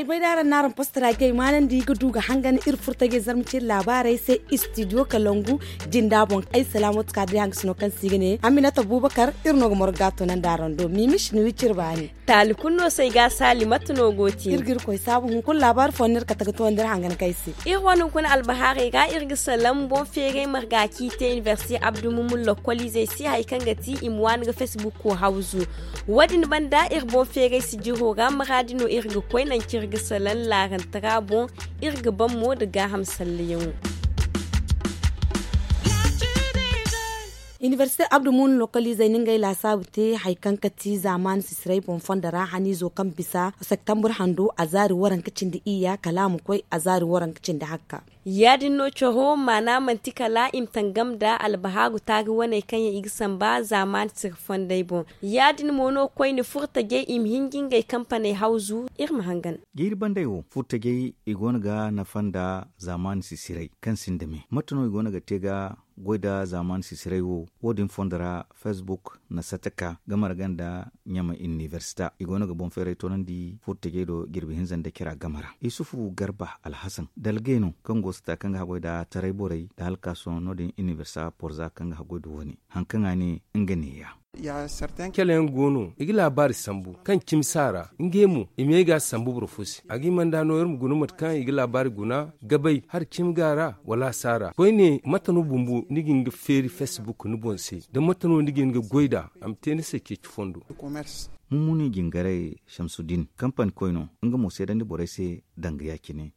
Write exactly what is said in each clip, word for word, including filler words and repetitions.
Bay da araŋ na araŋ postara ga ay maanandi ga du ga hangan iri furtajey zarma ciri laabaarey se. Istidiyo kalangu jinda boŋ ay salaamatu ka day hangasino kaŋ se i ga ne aminata buubakar. Iri no ga morga ga toonandi araŋ do miimi siniwi ciri baani. Taali kulu no se ay ga a saali mate no go ti iri ga iri koy saabu hunkuna laabaari fooyaŋ no iri kate ga toonandi iri hangan kaŋ ay se. Iri wane hunkuna albahaarey ra iri ga salaŋ boŋ feeray marga kaŋ i te inibersite abdu mumun lokkoliizey se hari kaŋ ga ti i ma waani ga facebook ko hawzu. Wo- din banda iri boŋ feeray sijiro ra maraadi no iri ga koy nangu kaŋ iri ga salaŋ laarantara boŋ. Iri ga ban mo nda gaaham sallayaŋo. Inibersite abdu muunu lokoliizey na ngey laasaabu te hari kaŋ ga ti zaamaani sisiray boŋ fondo ra haniizo kaŋ bisa septambur hando a zaari waranka cindi iyya kala a ma koy a zaari waranka cindi hakka. Ya- din no coro maana manti kala i ma tangam nda albahaaru taari waney kaŋ yaŋ i ga samba zaamaani siri fondey boŋ. Ya- din mo no koyne furtajey i ma hin ga ngey kampaney hawzu. Iri ma hangan. Jiiri bandey wo furtajey i go no ga nafa nda zaamaani sisiray kaŋ sinda me mate no i go no ga te ga goy nda zaamaani sisiray wo. Wo- din fondo ra facebook na sata ka gamara ganda ɲama inibersita i go no ga boŋ feeray toonandi furtajey do jirbi hinza nda cira game ra isufu garba alhasan dalgay no kaŋ go sata kaŋ ga haggoy nda taray borey nda halkaaso no- din inibersita porza kaŋ ga haggoy nda wo- ne hari kaŋ a ne nga neeya. Cala yaŋ go no i ga laabaari sambu kaŋ cimi si a ra ngey mo i ma ye ga a sambu boro fo se a ga hima nda no iri ma guna mate kaŋ i ga laabaari guna gabay hari cimi ga a ra wala a si a ra koyne mate no bumbo ni ga hin ga feeri facebook ni boŋ se? Da mate no ni ga hin ga goy nd'a a ma te ni se ceeci fondo. Mummuni jingaray shamsuddin kampani koy no nga mo seedandi borey se danga ya- cine.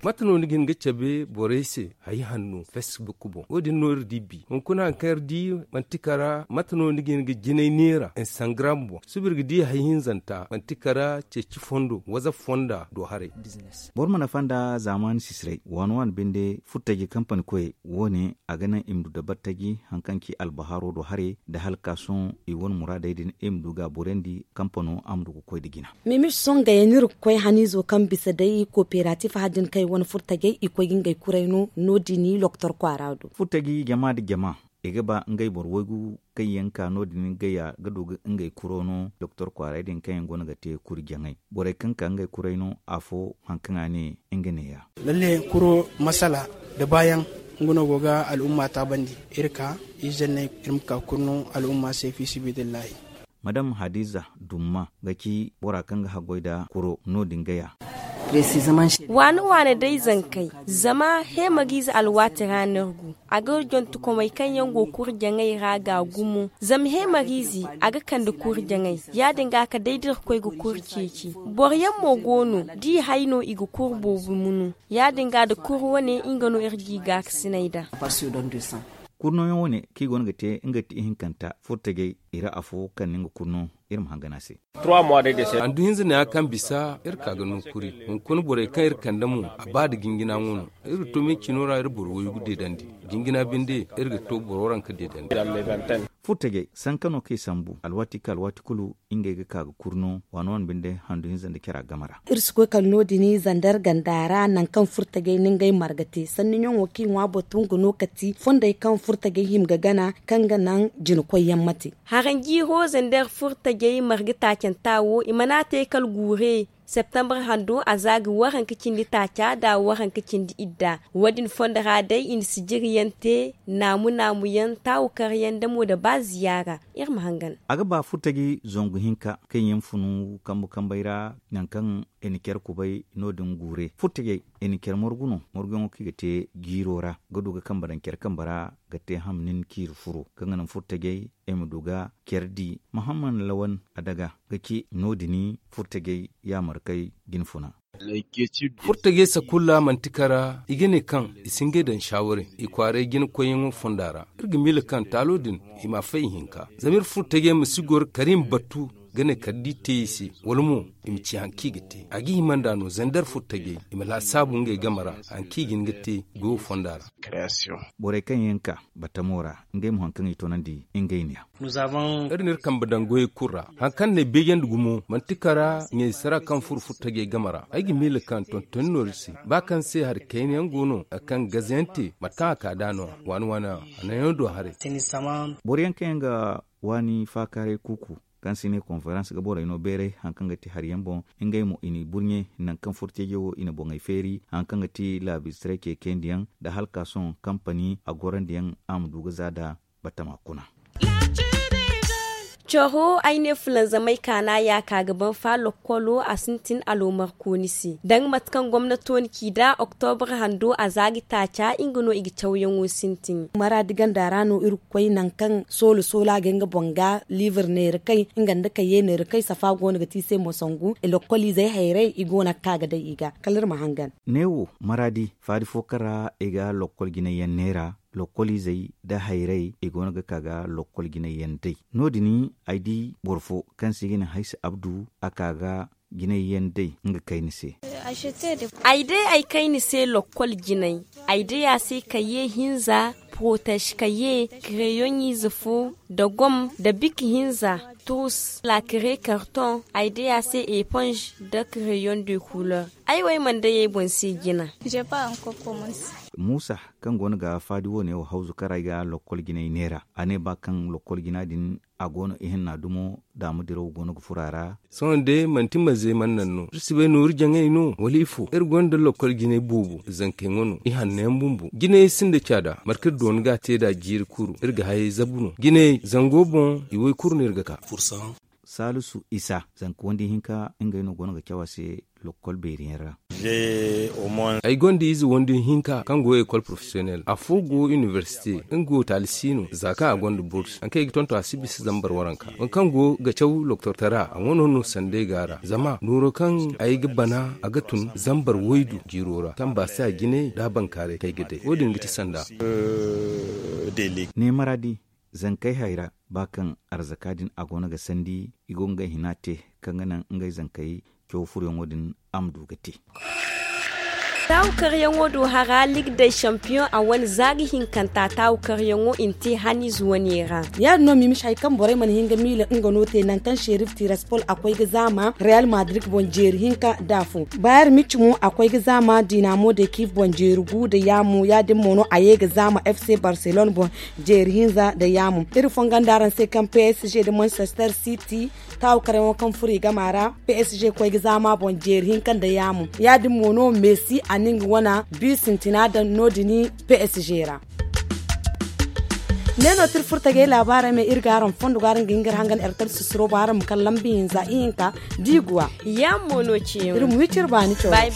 Mate no ni ga hin ga cabe borey se hari hanno facebook boŋ wo- din no iri di bi hunkuna hari kaŋ iri di manti kara mate no ni ga hin ga jinay neera instagram boŋ suba iri ga di hari hinzanta manti kara ceeci fondo whatsapp fonda do haray. Boro ma nafa nda zaamaani sisiray waani waani binde furtaji kampani koyey wo- ne a ga naŋ i ma du dabartaji hari kaŋ ci albahaaro do haray nda hala ka sohõ i wane muraadey din i ma du ga a boorandi kampano a ma du ga koy nda jina. Mimi songa yaŋ no iri ga koy haniizo kaŋ bisa day kooperatif hari din kaŋ i wane furtajey i koy ga ngey kuray no no- din loktor kwaara do. Furtaji jama nda jama i ga ba ngey boro waygu kaŋ yaŋ ka no- din gaya ga du ga ngey kuro no doktor kwaaray din kaŋ yaŋ go no ga te kuri jaŋay borey kaŋ ka ngey kuray no afo hari kaŋ a ne nga neeya. Lalle kuro masala nda baayaŋ nga no go ga al'umma taabandi. Iri ka iri zanney iri ma ka kuri no al'umma se fi sibidillahi. Madam hadiza dumma ga ci bora kaŋ ga haggoy nda kuro no- din gaya. Waane waane day zankey zama heemariize alwaati ra no iri go a ga jontukomey kaŋ yaŋ go kuri jaŋay ra ga gumo zama heemariize a ga kande kuri jaŋay ya- din ga ka day da iri ga koy ga kuri ceeci. Boro yaŋ mo go no da i hay no i ga kuri boobo munu ya- din ga nda kuri wane nga no iri ga i gaakasinay nd'a. Kuri nooyaŋ wane kaŋ i go no ga te nga ti ihinkanta furtajey i ra afo kaŋ na nga kuri no iri ma hangan a se. Handu hinza neeya kaŋ bisa iri ka ga no kuri hunkuna borey kaŋ iri kande mo a ba nda jinjina ŋwa no. Iri ga to me cino ra iri boro waygu deedandi jinjina binde iri ga to boro ranka deedandi. Furtajey sanka no kaŋ i sambu alwaati kaŋ alwaati kulu ngey ga ka ga kuri no waano wane binde handu hinza nda cara game ra. Iri si koy kala no- din zandar ganda ra nangu kaŋ furtajey na ngey marga te sanni ɲaŋo kaŋ i ŋwa batu nga no kati fondey kaŋ furtajey hima ga gana kaŋ ga naŋ jina koyyaŋ ma te. Haranjiiro zandar furtajey marga taacanta wo i mana te kala guure septembre hando a za ga waranka cindi taaca nda waranka cindi idda. Wo- din fondo ra day i na sijiriyaŋ te naamu naamuyaŋ taawukaryaŋ nda mo nda ba ziyaara. Iri ma hangan. A ga ba furtaji zangu hinka kaŋ yaŋ funu kambu kambey ra nangu kaŋ i na care kubay no- din guure furtajey i na care margu no marguyaŋo kaŋ i ga te jiiro ra ga du ga kambe daŋ care kambe ra ga te ham nin ciiri furo kaŋ ga naŋ furtajey i ma du ga care di. Muhammad lawan adaga ga ci no- din furtajey yaamarkay jinfuna. Furtajey sakulla manti kara i ga ne kaŋ i si ngey daŋ shaawaray i kwaaray jina koyyaŋo fonda ra. Iri ga miila kaŋ taalo din i ma a fay ihinka zama iri furtajey ma si goro kala i ma battu ga ne kala da i te i se wala mo i ma ci hari kaŋ i ga te a ga hima nd'a no zandar furtajey i ma laasaabu ngey game ra hari kaŋ i ga hin ga te goyo fonda ra. Borey kaŋ yaŋ ka batamo ra ngey mo hari kaŋ i toonandi ngey neeya. Iri na iri kambe daŋ goyey kulu ra hari kaŋ na ay beejandi gumo manti kara ɲaysara kaŋ furo furtajey game ra ay ga miila kaŋ tontoni no iri se ba kaŋ se hari kayna yaŋ go no hari kaŋ gaze yaŋ te mate kaŋ a ka nd'a no-ya waani waani a naŋ yaŋ do haray. Boro yaŋ kaŋ yaŋ ga waani faakaaray kuuku kaŋ se i ne konferans ga borey no beeray hari kaŋ ga ti hari yaŋ boŋ. Ngey mo i n'i burɲe nangu kaŋ furteejo wo i na boŋey feeri hari kaŋ ga ti laabistrey ceecendiyaŋ nda halka sohõ kampani a gorandiyaŋ a ma du ga za nd'a batama kuna. Coro ay ne fulanzamey kaana ya ka ga ban fa lokkolo a sintin aloomarkooni se danga mate kaŋ gomnato na ci nd'a oktobre hando a za ga taaca nga no i ga cawyaŋo sintin. Maraadi ganda ra no iri ga koy nangu kaŋ soola soola ga nga boŋ ga liibir neera kay nga nda kaye neera kay safa go no ga te i se mo sangu lokkoliizey hayray i go no ga ka ga day i ga kala iri ma hangan. Neewo maraadi faadi fo kaŋ ra i ga lokkol jinayyaŋ neera lokkoliizey nda hayray i go no ga ka ga lokkol jinayyaŋ day. No- din ay di boro fo kaŋ se i ga ne haysa abdu a ka ga jinayyaŋ day nga kayna se. Ay day ay kayna se lokkol jinay. Ay day a se kaye hinza, porotez kaye, kereyoŋ ize fo, da gom da bik hinza, turus, lakere karton. Ay day a se eponz, da kereyoŋ de kulor. Ay wo ay mana day ay boŋ se jina. Muusa kaŋ go no ga faadi wo- ne wo hawzu kaŋ ra ay ga lokkol jinay neera a ne ba kaŋ lokkol jina din a go no ihinna dumo daama diraw go no ga furo a ra. Sohõ day manti maze mana naŋ no iri si bay nooru jaŋay no wala ifo iri gonda lokkol jinay boobo zankey ŋwa no ihanno yaŋ bumbo jinay sinda caada marka iri doona ga a te nd'a jiiri kuru iri ga hayey zabu no jinay zango boŋ i woy kuru no iri ga ka. Saalisu isa zanka wandi hinka ngey no go no ga caw a se lokkol beeri yaŋ ra. Ay gonda ize wandi hinka kaŋ go ekol porofesiyonel afo go inibersite nga wo taali si no za kaŋ a gonda burs hari kaŋ ay ga tonton a si bisa zambar waranka boro kaŋ go ga caw loktortara a ŋwa no no sanda ay go a ra zama nooro kaŋ ay ga bana a ga tun zambar waydu jiiro ra kaŋ baasi a jine nda a bankaaray kaŋ ay ga day wo- din ga ti sanda. Ne maraadi zankey hayra ba kaŋ arzaka din a go no ga sandi i go ga ngey hina te kaŋ ga naŋ ngey zankey caw furoyaŋo din a ma du ga te. Taawu karyaŋo do hara lig day sampiyoŋ a wane za ga hinkanta taawu karyaŋo i na te haniize wane ra. Ya- din no mimisi hari kaŋ borey mana hin ga miila nga no te nangu kaŋ serif tiraspol a koy ga zaama reyal madrid boŋ jeeri hinka nda afo. Bayer mici mo a koy ga zaama dinamo de kiif boŋ jeeri gu nda yaamo ya- din mo no a ye ga zaama fc barcelone boŋ jeeri hinza nda yaamo. Iri fongonda araŋ se kaŋ psg nda manchester city taawu karayaŋo kaŋ furo i gama ra psg koy ga zaama boŋ jeeri hinka nda yaamo ya- din mo no messi a na nga wana bi sintina daŋ no- din psg ra. Ne no tira furo tagay laabaarey me iri ga araŋ fondo ga araŋ ga hin ga iri hangan ertel susuro boŋ araŋ ma kala lambi hinza ihinka da i guwa. Yaamo no ciyaŋ iri ma wi cire baani cawey.